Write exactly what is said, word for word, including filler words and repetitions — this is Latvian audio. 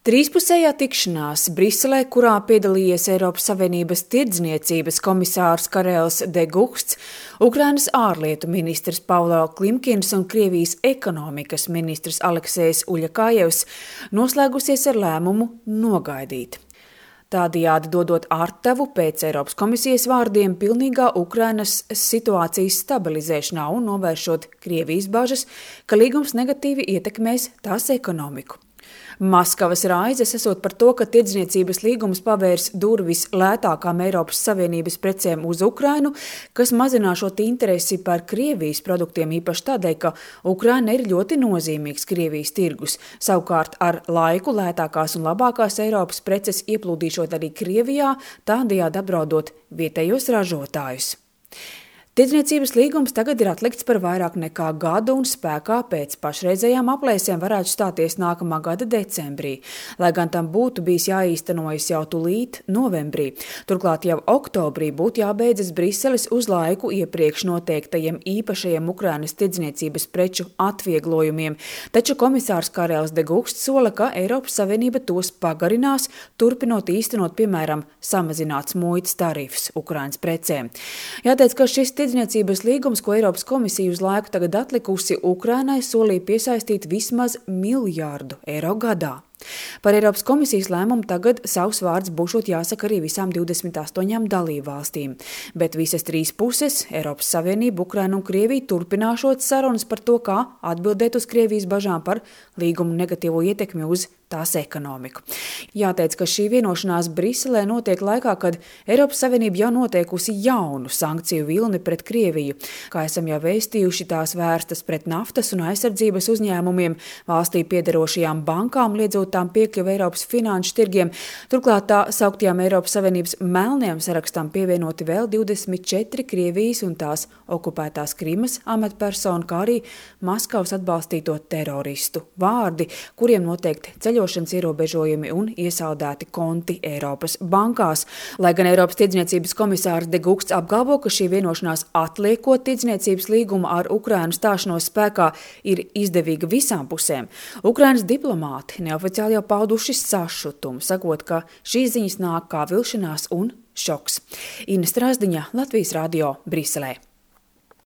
Trīspusējā tikšanās Briselē, kurā piedalījies Eiropas Savienības tirdzniecības komisārs Karels de Guhts, Ukrainas ārlietu ministrs Paulo Klimkins un Krievijas ekonomikas ministrs Aleksejs Uļakājevs, noslēgusies ar lēmumu nogaidīt. Tādējādi dodot ārtavu pēc Eiropas komisijas vārdiem pilnīgā Ukrainas situācijas stabilizēšanā un novēršot Krievijas bažas, ka līgums negatīvi ietekmēs tās ekonomiku. Maskavas raizes esot par to, ka tirdzniecības līgums pavērs durvis lētākām Eiropas Savienības precēm uz Ukrainu, kas mazināšot interesi par Krievijas produktiem īpaši tādēļ, ka Ukraina ir ļoti nozīmīgs Krievijas tirgus. Savukārt ar laiku lētākās un labākās Eiropas preces ieplūdīšot arī Krievijā, tādējādi apdraudot vietējos ražotājus. Tirdzniecības līgums tagad ir atlikts par vairāk nekā gadu un spēkā pēc pašreizējām aplēsēm varētu stāties nākamā gada decembrī, lai gan tam būtu bijis jāīstenojas jau tulīt novembrī. Turklāt jau oktobrī būtu jābeidzas Briseles uz laiku iepriekš noteiktajiem īpašajiem Ukrainas tirdzniecības preču atvieglojumiem, taču komisārs Karels de Guhts sola, ka Eiropas Savienība tos pagarinās, turpinot īstenot, piemēram, samazināts muitas tarifus Ukrainas precēm. Jāteic, ka šis tirdzniecības līgums, ko Eiropas komisija uz laiku tagad atlikusi, Ukrainai solīja piesaistīt vismaz miljārdu eiro gadā. Par Eiropas komisijas lēmumu tagad savs vārds būšot jāsaka arī visām divdesmit astoņām dalībvalstīm, bet visas trīs puses, Eiropas Savienība, Ukraina un Krievija, turpināšot sarunas par to, kā atbildēt uz Krievijas bažām par līgumu negatīvo ietekmi uz tās ekonomiku. Jāteic, ka šī vienošanās Briselē notiek laikā, kad Eiropas Savienība jau noteikusi jaunu sankciju vilni pret Krieviju. Kā esam jau vēstījuši, tās vērstas pret naftas un aizsardzības uzņēmumiem, valstī piederošajām bankām, liedzot tām piekļuvi Eiropas finanšu tirgiem. Turklāt tā sauktajām Eiropas Savienības melnajām sarakstām pievienoti vēl divdesmit četri Krievijas un tās okupētās Krimas amatpersonu, kā arī Maskavas atbalstīto teroristu vārdi, kuriem noteikti ceļošanas ierobežojumi un iesaldēti konti Eiropas bankās. Lai gan Eiropas tirdzniecības komisārs de Guhts apgalvo, ka šī vienošanās atliekot tirdzniecības līgumu ar Ukrainu stāšanos spēkā ir izdevīga visām pusēm, Ukrainas diplomāti neoficiāli jau pauduši sašutumu, sakot, ka šīs ziņas nāk kā vilšanās un šoks. Ina Strāzdiņa, Latvijas radio, Briselē.